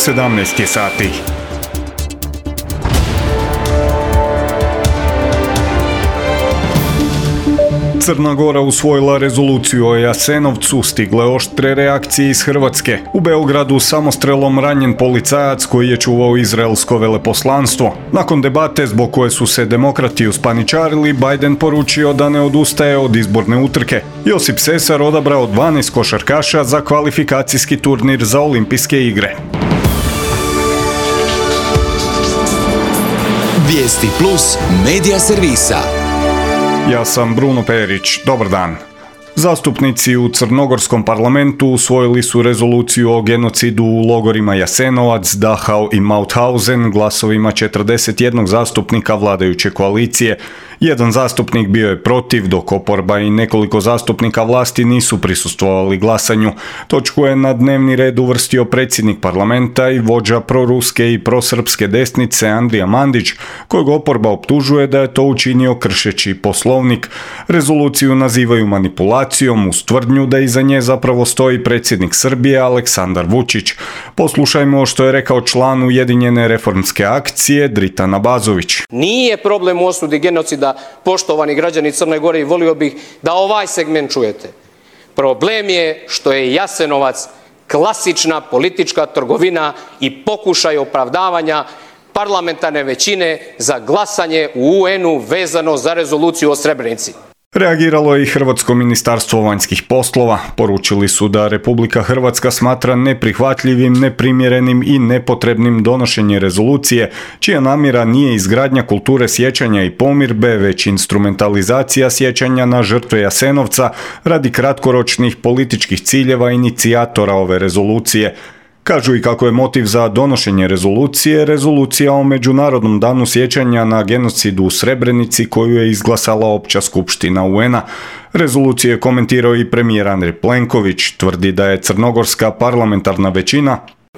17 je sati. Crna Gora usvojila rezoluciju o Jasenovcu, stigle oštre reakcije iz Hrvatske. U Beogradu samostrelom ranjen policajac koji je čuvao izraelsko veleposlanstvo. Nakon debate zbog koje su se demokrati uspaničarili, Biden poručio da ne odustaje od izborne utrke. Josip Sesar odabrao 12 košarkaša za kvalifikacijski turnir za olimpijske igre. Vijesti plus medija servisa. Ja sam Bruno Perić, dobar dan. Zastupnici u crnogorskom parlamentu usvojili su rezoluciju o genocidu u logorima Jasenovac, Dachau i Mauthausen glasovima 41 zastupnika vladajuće koalicije. Jedan zastupnik bio je protiv, dok oporba i nekoliko zastupnika vlasti nisu prisustvovali glasanju. Točku je na dnevni red uvrstio predsjednik parlamenta i vođa proruske i prosrpske desnice Andrija Mandić, kojeg oporba optužuje da je to učinio kršeći poslovnik. Rezoluciju nazivaju manipulacijom uz tvrdnju da iza nje zapravo stoji predsjednik Srbije Aleksandar Vučić. Poslušajmo što je rekao član Ujedinjene reformske akcije Dritan Abazović. Nije problem u osudi genocida, poštovani građani Crne Gore, i volio bih da ovaj segment čujete. Problem je što je Jasenovac klasična politička trgovina i pokušaj opravdavanja parlamentarne većine za glasanje u UN-u vezano za rezoluciju o Srebrenici. Reagiralo je i Hrvatsko ministarstvo vanjskih poslova. Poručili su da Republika Hrvatska smatra neprihvatljivim, neprimjerenim i nepotrebnim donošenje rezolucije, čija namjera nije izgradnja kulture sjećanja i pomirbe, već instrumentalizacija sjećanja na žrtve Jasenovca radi kratkoročnih političkih ciljeva inicijatora ove rezolucije. Kažu i kako je motiv za donošenje rezolucija o Međunarodnom danu sjećanja na genocidu u Srebrenici koju je izglasala Opća skupština UN-a. Rezoluciju je komentirao i premijer Andrej Plenković, tvrdi da je crnogorska parlamentarna većina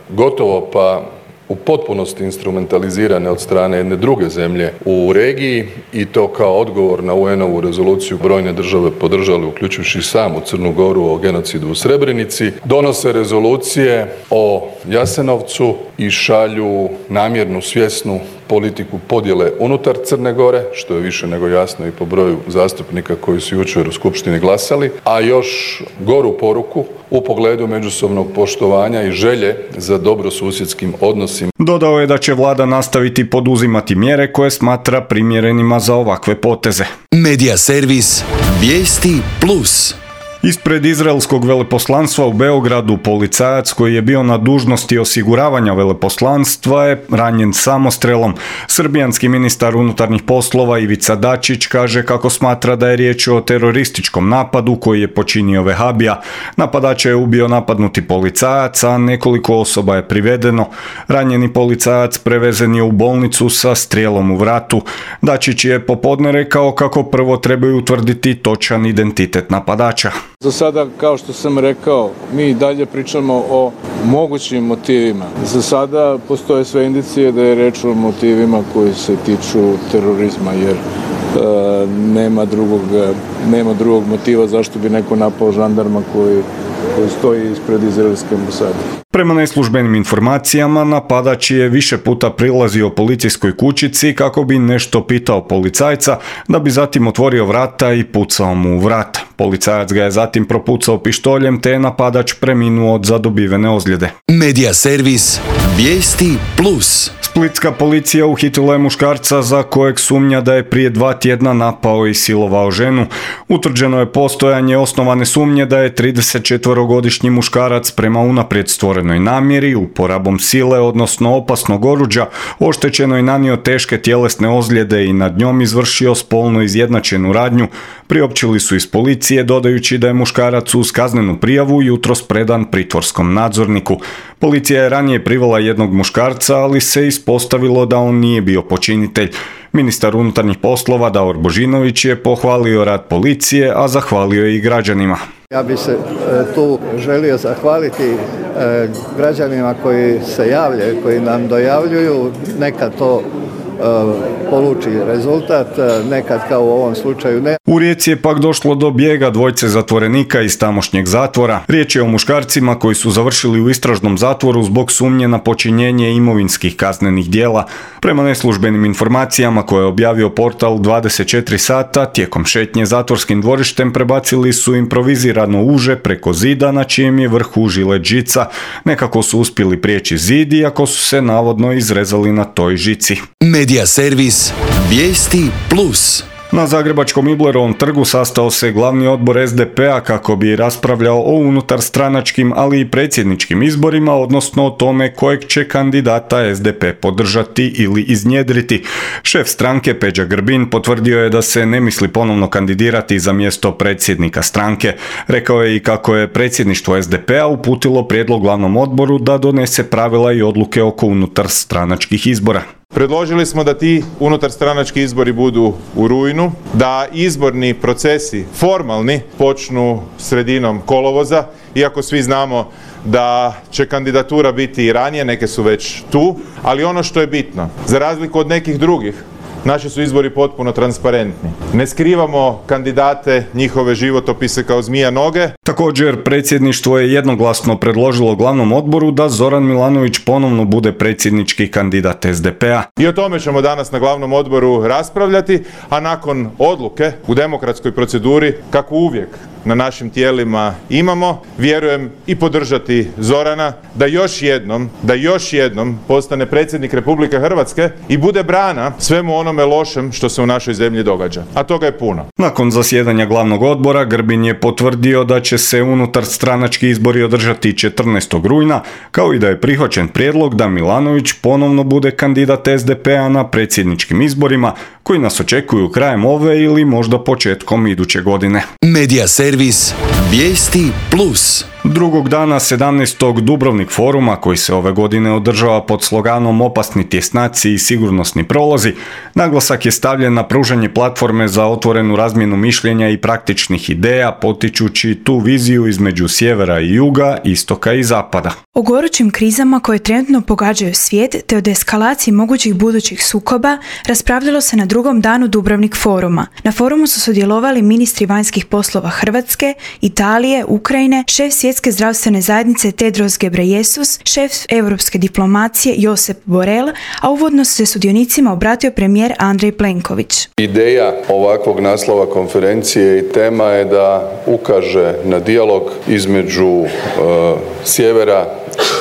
gotovo pa u potpunosti instrumentalizirane od strane jedne druge zemlje u regiji i to kao odgovor na UN-ovu rezoluciju brojne države podržale, uključujući samu Crnu Goru, o genocidu u Srebrenici, donose rezolucije o Jasenovcu i šalju namjernu, svjesnu politiku podjele unutar Crne Gore, što je više nego jasno i po broju zastupnika koji su jučer u Skupštini glasali, a još goru poruku u pogledu međusobnog poštovanja i želje za dobrosusjedskim odnosima. Dodao je da će vlada nastaviti poduzimati mjere koje smatra primjerenima za ovakve poteze. Medija servis Vijesti plus. Ispred izraelskog veleposlanstva u Beogradu policajac koji je bio na dužnosti osiguravanja veleposlanstva je ranjen samostrelom. Srbijanski ministar unutarnjih poslova Ivica Dačić kaže kako smatra da je riječ o terorističkom napadu koji je počinio vehabija. Napadača je ubio napadnuti policajac, a nekoliko osoba je privedeno. Ranjeni policajac prevezen je u bolnicu sa strijelom u vratu. Dačić je popodne rekao kako prvo trebaju utvrditi točan identitet napadača. Za sada, kao što sam rekao, mi i dalje pričamo o mogućim motivima. Za sada postoje sve indicije da je reč o motivima koji se tiču terorizma, jer nema drugog motiva zašto bi neko napao žandarma koji stoji ispred izraelske ambasade. Prema neslužbenim informacijama, napadač je više puta prilazio policijskoj kućici kako bi nešto pitao policajca, da bi zatim otvorio vrata i pucao mu u vrat. Policajac ga je zatim propucao pištoljem, te je napadač preminuo od zadobivene ozljede. Medija servis Vijesti plus. Splitska policija uhitila je muškarca za kojeg sumnja da je prije 2 tjedna napao i silovao ženu. Utvrđeno je postojanje osnovane sumnje da je 34-godišnji muškarac prema unaprijed stvorenoj namjeri, uporabom sile, odnosno opasnog oruđa, oštećeno i nanio teške tjelesne ozljede i nad njom izvršio spolno izjednačenu radnju. Priopćili su iz policije, dodajući da je muškarac uz kaznenu prijavu jutros predan pritvorskom nadzorniku. Policija je ranije privela jednog muškarca, ali se ispostavilo da on nije bio počinitelj. Ministar unutarnjih poslova Davor Božinović je pohvalio rad policije, a zahvalio i građanima. Ja bih se tu želio zahvaliti građanima koji se javljaju, koji nam dojavljuju. Neka to poluči rezultat, nekad kao u ovom slučaju ne. U Rijeci je pak došlo do bijega dvojce zatvorenika iz tamošnjeg zatvora. Riječ je o muškarcima koji su završili u istražnom zatvoru zbog sumnje na počinjenje imovinskih kaznenih djela. Prema neslužbenim informacijama koje je objavio portal 24 sata, tijekom šetnje zatvorskim dvorištem prebacili su improvizirano uže preko zida na čijem je vrhu žilet žica. Nekako su uspjeli prijeći zid iako su se navodno izrezali na toj žici. Medija servis Vijesti Plus. Na zagrebačkom Iblerovom trgu sastao se glavni odbor SDP-a kako bi raspravljao o unutarstranačkim, ali i predsjedničkim izborima, odnosno o tome kojeg će kandidata SDP podržati ili iznjedriti. Šef stranke Peđa Grbin potvrdio je da se ne misli ponovno kandidirati za mjesto predsjednika stranke. Rekao je i kako je predsjedništvo SDP-a uputilo prijedlog glavnom odboru da donese pravila i odluke oko unutarstranačkih izbora. Predložili smo da ti unutarstranački izbori budu u rujnu, da izborni procesi formalni počnu sredinom kolovoza, iako svi znamo da će kandidatura biti i ranije, neke su već tu, ali ono što je bitno, za razliku od nekih drugih, naši su izbori potpuno transparentni. Ne skrivamo kandidate, njihove životopise kao zmija noge. Također, predsjedništvo je jednoglasno predložilo glavnom odboru da Zoran Milanović ponovno bude predsjednički kandidat SDP-a. I o tome ćemo danas na glavnom odboru raspravljati, a nakon odluke u demokratskoj proceduri, kako uvijek na našim tijelima imamo, vjerujem i podržati Zorana da još jednom postane predsjednik Republike Hrvatske i bude brana svemu onome lošem što se u našoj zemlji događa. A toga je puno. Nakon zasjedanja glavnog odbora, Grbin je potvrdio da će se unutarstranački izbori održati 14. rujna, kao i da je prihvaćen prijedlog da Milanović ponovno bude kandidat SDP-a na predsjedničkim izborima, koji nas očekuju krajem ove ili možda početkom iduće godine. Medija servis Vijesti Plus. Drugog dana 17. Dubrovnik foruma, koji se ove godine održava pod sloganom Opasni tjesnaci i sigurnosni prolazi, naglasak je stavljen na pružanje platforme za otvorenu razmjenu mišljenja i praktičnih ideja, potičući tu viziju između sjevera i juga, istoka i zapada. O gorućim krizama koje trenutno pogađaju svijet te o eskalaciji mogućih budućih sukoba raspravljalo se na drugom danu Dubrovnik foruma. Na forumu su sudjelovali ministri vanjskih poslova Hrvatske, Italije, Ukrajine, šef Svjetske zdravstvene zajednice Tedros Ghebreyesus, šef europske diplomacije Josep Borrell, a uvodno se sudionicima obratio premijer Andrej Plenković. Ideja ovakvog naslova konferencije i tema je da ukaže na dijalog između sjevera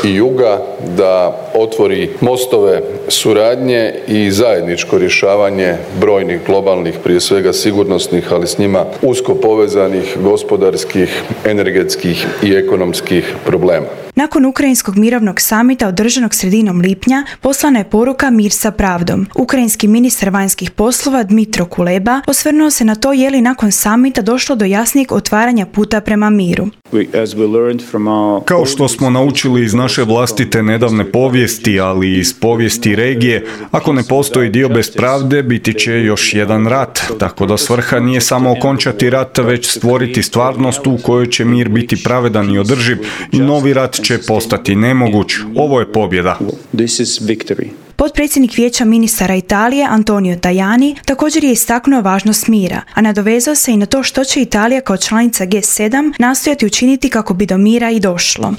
i juga, da otvori mostove suradnje i zajedničko rješavanje brojnih globalnih, prije svega sigurnosnih, ali s njima usko povezanih gospodarskih, energetskih i ekonomskih problema. Nakon ukrajinskog mirovnog samita održanog sredinom lipnja poslana je poruka Mir sa pravdom. Ukrajinski ministar vanjskih poslova Dmitro Kuleba osvrnuo se na to je li nakon samita došlo do jasnijeg otvaranja puta prema miru. Kao što smo naučili iz naše vlastite nedavne povijesti, ali i iz povijesti regije, ako ne postoji dio bez pravde, biti će još jedan rat. Tako da svrha nije samo okončati rat, već stvoriti stvarnost u kojoj će mir biti pravedan i održiv i novi rat će postati nemoguć. Ovo je pobjeda. Potpredsjednik Vijeća ministara Italije Antonio Tajani također je istaknuo važnost mira, a nadovezao se i na to što će Italija kao članica G7 nastojati učiniti kako bi do mira i došlo.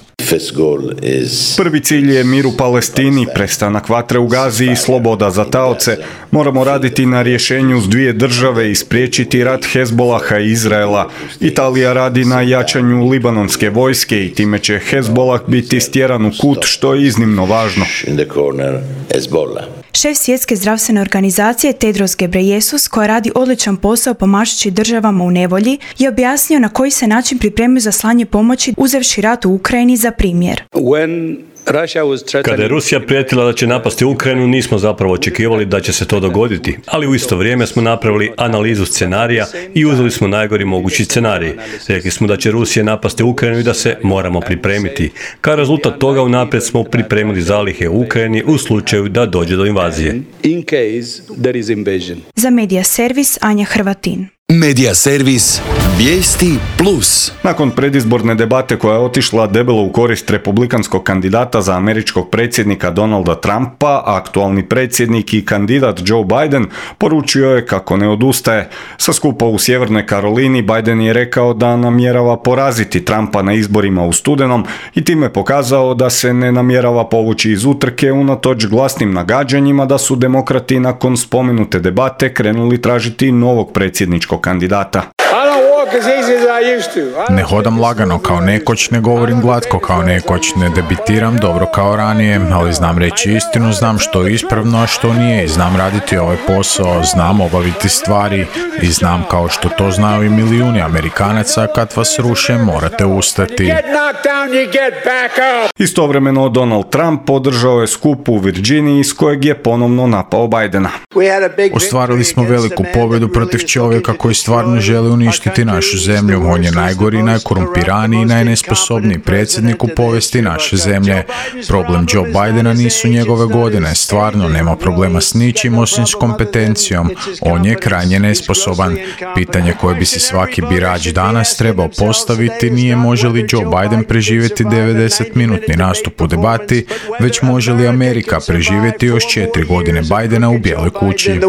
Prvi cilj je mir u Palestini, prestanak vatre u Gazi i sloboda za taoce. Moramo raditi na rješenju s dvije države i spriječiti rat Hezbolaha i Izraela. Italija radi na jačanju libanonske vojske i time će Hezbolah biti stjeran u kut, što je iznimno važno. Šef Svjetske zdravstvene organizacije Tedros Ghebreyesus, koja radi odličan posao pomažući državama u nevolji, je objasnio na koji se način pripremio za slanje pomoći uzevši rat u Ukrajini za primjer. Kada je Rusija prijetila da će napasti Ukrajinu, nismo zapravo očekivali da će se to dogoditi, ali u isto vrijeme smo napravili analizu scenarija i uzeli smo najgori mogući scenarij. Rekli smo da će Rusija napasti Ukrajinu i da se moramo pripremiti. Kao rezultat toga unaprijed smo pripremili zalihe u Ukrajini u slučaju da dođe do invazije. Za Medija servis Anja Hrvatin. Medija servis Vijesti Plus. Nakon predizborne debate koja je otišla debelo u korist republikanskog kandidata za američkog predsjednika Donalda Trumpa, aktualni predsjednik i kandidat Joe Biden poručio je kako ne odustaje. Sa skupa u Sjevernoj Karolini Biden je rekao da namjerava poraziti Trumpa na izborima u studenom i time pokazao da se ne namjerava povući iz utrke unatoč glasnim nagađanjima da su demokrati nakon spomenute debate krenuli tražiti novog predsjedničkog kandidata. Ne hodam lagano kao nekoć, ne govorim glatko kao nekoć, ne debitiram dobro kao ranije, ali znam reći istinu, znam što je ispravno, a što nije i znam raditi ovaj posao, znam obaviti stvari i znam kao što to znaju i milijuni Amerikanaca, kad vas ruše morate ustati. Istovremeno Donald Trump podržao je skup u Virginiji s kojeg je ponovno napao Bidena. Ostvarili smo veliku pobjedu protiv čovjeka koji stvarno želi uništiti našu zemlju. On je najgori, najkorumpiraniji i najnesposobniji predsjednik u povijesti naše zemlje. Problem Joe Bidena nisu njegove godine. Stvarno nema problema s ničim osim s kompetencijom. On je krajnje nesposoban. Pitanje koje bi si svaki birač danas trebao postaviti nije može li Joe Biden preživjeti 90-minutni nastup u debati, već može li Amerika preživjeti još 4 godine Bidena u Bijeloj kući.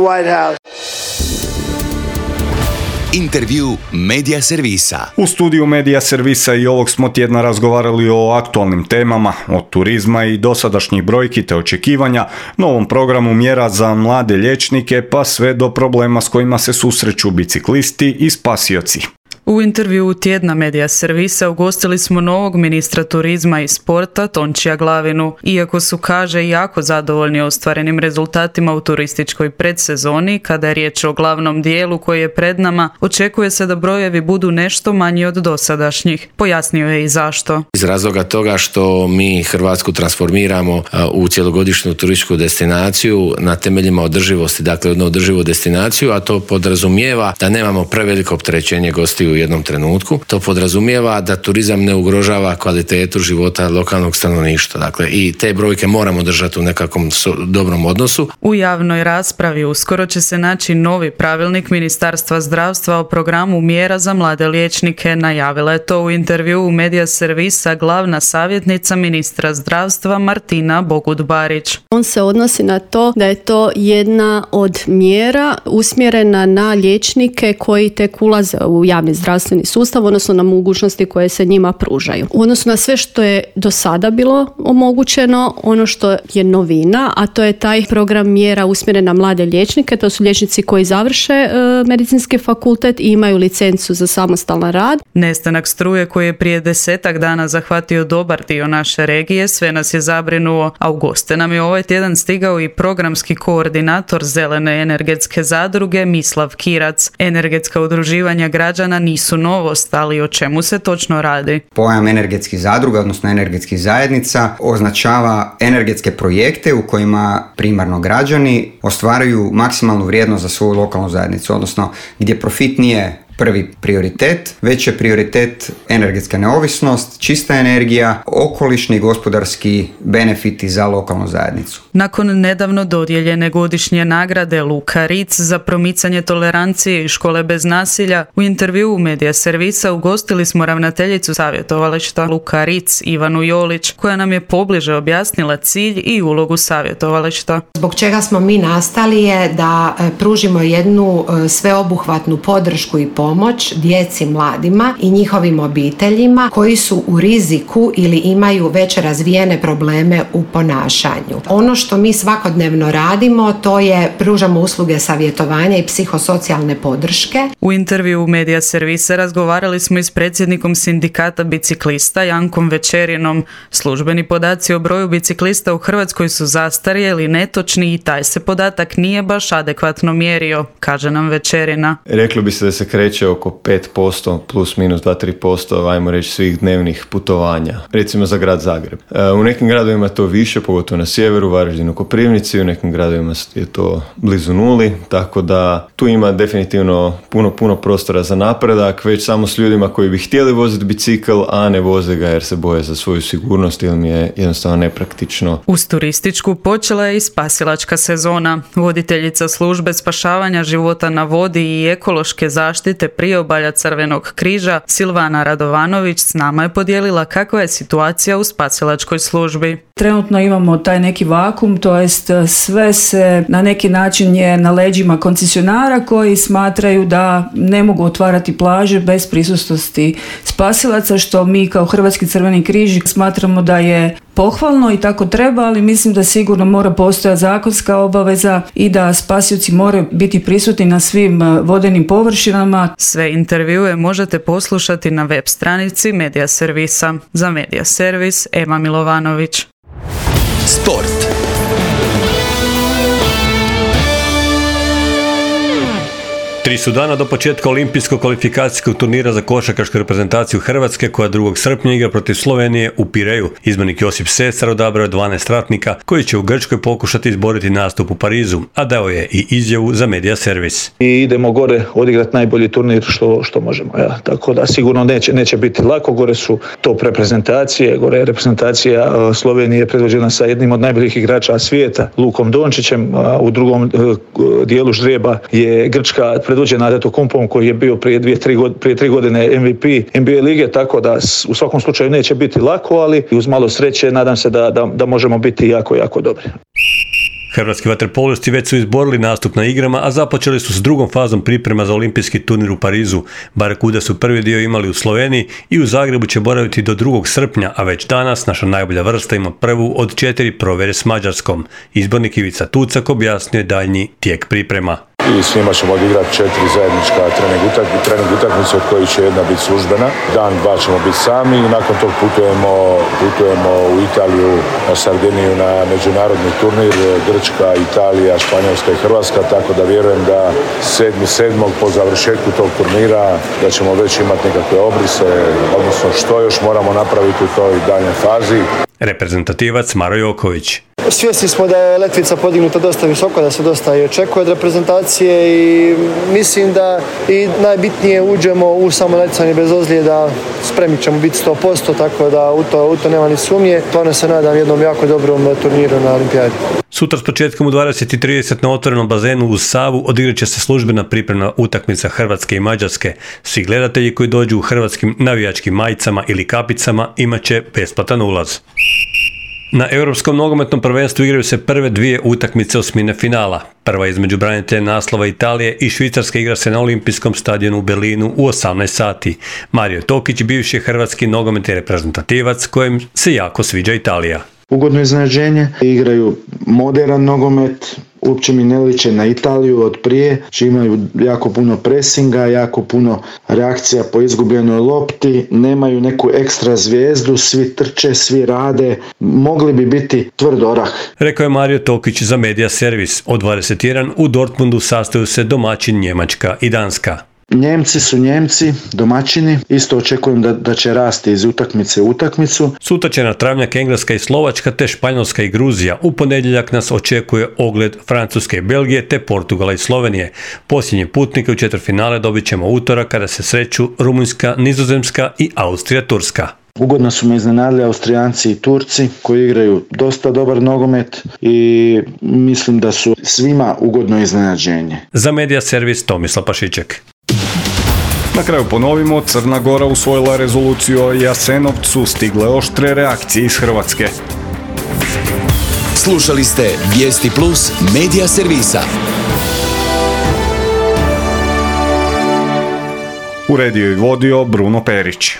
Intervju Medija servisa. U studiju Medija servisa i ovog smo tjedna razgovarali o aktualnim temama, od turizma i dosadašnjih brojki te očekivanja, novom programu mjera za mlade liječnike pa sve do problema s kojima se susreću biciklisti i spasioci. U intervjuu tjedna Medija servisa ugostili smo novog ministra turizma i sporta Tončija Glavinu. Iako su, kaže, jako zadovoljni ostvarenim rezultatima u turističkoj predsezoni, kada je riječ o glavnom dijelu koji je pred nama, očekuje se da brojevi budu nešto manji od dosadašnjih. Pojasnio je i zašto. Iz razloga toga što mi Hrvatsku transformiramo u cjelogodišnju turističku destinaciju na temeljima održivosti, dakle jednu održivu destinaciju, a to podrazumijeva da nemamo preveliko opterećenje gostiju u jednom trenutku. To podrazumijeva da turizam ne ugrožava kvalitetu života lokalnog stanovništva. Dakle, i te brojke moramo držati u nekakvom dobrom odnosu. U javnoj raspravi uskoro će se naći novi pravilnik Ministarstva zdravstva o programu mjera za mlade liječnike. Najavila je to u intervjuu Medija servisa glavna savjetnica ministra zdravstva Martina Bogut-Barić. On se odnosi na to da je to jedna od mjera usmjerena na liječnike koji tek ulaze u javni zdravstveni sustav, odnosno na mogućnosti koje se njima pružaju. U odnosu na sve što je do sada bilo omogućeno, ono što je novina, a to je taj program mjera usmjeren na mlade liječnike, to su liječnici koji završe medicinski fakultet i imaju licencu za samostalan rad. Nestanak struje koji je prije 10 dana zahvatio dobar dio naše regije, sve nas je zabrinuo, a u goste nam je ovaj tjedan stigao i programski koordinator Zelene energetske zadruge Mislav Kirac. Energetska udruživanja građana nisu novost, ali o čemu se točno radi? Pojam energetskih zadruga, odnosno energetskih zajednica, označava energetske projekte u kojima primarno građani ostvaruju maksimalnu vrijednost za svoju lokalnu zajednicu, odnosno gdje profit nije prvi prioritet, već je prioritet energetska neovisnost, čista energija, okolišni i gospodarski benefiti za lokalnu zajednicu. Nakon nedavno dodijeljene godišnje nagrade Luka Ritz za promicanje tolerancije i škole bez nasilja, u intervjuu Medija servisa ugostili smo ravnateljicu savjetovališta Luka Ritz Ivanu Jolić, koja nam je pobliže objasnila cilj i ulogu savjetovališta. Zbog čega smo mi nastali je da pružimo jednu sveobuhvatnu podršku i pomoć djeci, mladima i njihovim obiteljima koji su u riziku ili imaju već razvijene probleme u ponašanju. Ono što mi svakodnevno radimo, to je pružamo usluge savjetovanja i psihosocijalne podrške. U intervjuu Medija servisa razgovarali smo i s predsjednikom sindikata biciklista Jankom Večerinom. Službeni podaci o broju biciklista u Hrvatskoj su zastarjeli, netočni i taj se podatak nije baš adekvatno mjerio, kaže nam Večerina. Reklo bi se da se kreće pokreće oko 5%, plus minus 2-3%, ajmo reći, svih dnevnih putovanja, recimo za grad Zagreb. U nekim gradovima to više, pogotovo na sjeveru, Varaždinu, Koprivnici, u nekim gradovima je to blizu nuli, tako da tu ima definitivno puno prostora za napredak, već samo s ljudima koji bi htjeli voziti bicikl, a ne voze ga jer se boje za svoju sigurnost ili mi je jednostavno nepraktično. Uz turističku počela je i spasilačka sezona. Voditeljica službe spašavanja života na vodi i ekološke zaštite priobalja Crvenog križa Silvana Radovanović s nama je podijelila kakva je situacija u spasilačkoj službi. Trenutno imamo taj neki vakum, to jest sve se na neki način je na leđima koncesionara koji smatraju da ne mogu otvarati plaže bez prisutnosti spasilaca, što mi kao Hrvatski Crveni križ smatramo da je pohvalno i tako treba, ali mislim da sigurno mora postojati zakonska obaveza i da spasioci moraju biti prisutni na svim vodenim površinama. Sve intervjue možete poslušati na web stranici Medija servisa. Za Medija servis, Ema Milovanović. Sport. Tri su dana do početka olimpijskog kvalifikacijskog turnira za košarkašku reprezentaciju Hrvatske koja 2. srpnja igra protiv Slovenije u Pireju. Izbornik Josip Sesar odabrao 12 ratnika koji će u Grčkoj pokušati izboriti nastup u Parizu, a dao je i izjavu za Medija servis. I idemo gore odigrati najbolji turnir što možemo. Ja. Tako da sigurno neće biti lako. Gore su top reprezentacije. Gore je reprezentacija Slovenije predvođena sa jednim od najboljih igrača svijeta, Lukom Dončićem. U drugom dijelu ždrijeba je Grčka predvođena Antetokounmpom koji je bio prije 3 godine MVP NBA lige, tako da u svakom slučaju neće biti lako, ali uz malo sreće nadam se da možemo biti jako dobri. Hrvatski vaterpolisti već su izborili nastup na igrama, a započeli su s drugom fazom priprema za olimpijski turnir u Parizu. Barakuda su prvi dio imali u Sloveniji i u Zagrebu će boraviti do 2. srpnja, a već danas naša najbolja vrsta ima prvu od 4 provjere s Mađarskom. Izbornik Ivica Tucak objasnio je daljnji tijek priprema. I s njima ćemo odigrati 4 zajednička trening utakmice od kojih će jedna biti službena. Dan 2 ćemo biti sami i nakon tog putujemo u Italiju, na Sardiniju na međunarodni turnir, Grčka, Italija, Španjolska i Hrvatska, tako da vjerujem da 7.7. po završetku tog turnira da ćemo već imati nekakve obrise, odnosno što još moramo napraviti u toj daljnjoj fazi. Reprezentativac Maro Joković. Svjesni smo da je letvica podignuta dosta visoko, da se dosta i očekuje od reprezentacije i mislim da i najbitnije uđemo u samo natjecanje bez ozljeda, spremni ćemo biti 100%, tako da u to nema ni sumnje. Stvarno se nadam jednom jako dobrom turniru na Olimpijadi. Sutra s početkom u 20:30 na otvorenom bazenu uz Savu odigrat će se službena pripremna utakmica Hrvatske i Mađarske. Svi gledatelji koji dođu u hrvatskim navijačkim majicama ili kapicama imat će besplatan ulaz. Na Europskom nogometnom prvenstvu igraju se prve 2 utakmice osmine finala. Prva između branitelja naslova Italije i Švicarske igra se na olimpijskom stadionu u Berlinu u 18 sati. Mario Tokić bivši hrvatski nogometni reprezentativac kojem se jako sviđa Italija. Ugodno iznenađenje, igraju moderan nogomet, uopće mi ne liče na Italiju od prije, či imaju jako puno presinga, jako puno reakcija po izgubljenoj lopti, nemaju neku ekstra zvijezdu, svi trče, svi rade, mogli bi biti tvrd orah. Rekao je Mario Tokić za Medija servis. Od 21 u Dortmundu sastaju se domaćin Njemačka i Danska. Njemci su Njemci, domaćini, isto očekujem da će rasti iz utakmice u utakmicu. Sutra će na travnjak Engleska i Slovačka te Španjolska i Gruzija. U ponedjeljak nas očekuje ogled Francuske i Belgije te Portugala i Slovenije. Posljednje putnike u četvrtfinale dobit ćemo utorak kada se sreću Rumunjska, Nizozemska i Austrija, Turska. Ugodno su me iznenadili Austrijanci i Turci koji igraju dosta dobar nogomet i mislim da su svima ugodno iznenađenje. Za Medija servis Tomislav Pašiček. Na kraju ponovimo, Crna Gora usvojila rezoluciju o Jasenovcu, stigle oštre reakcije iz Hrvatske. Slušali ste Vijesti Plus Medija servisa. Uredio i vodio Bruno Perić.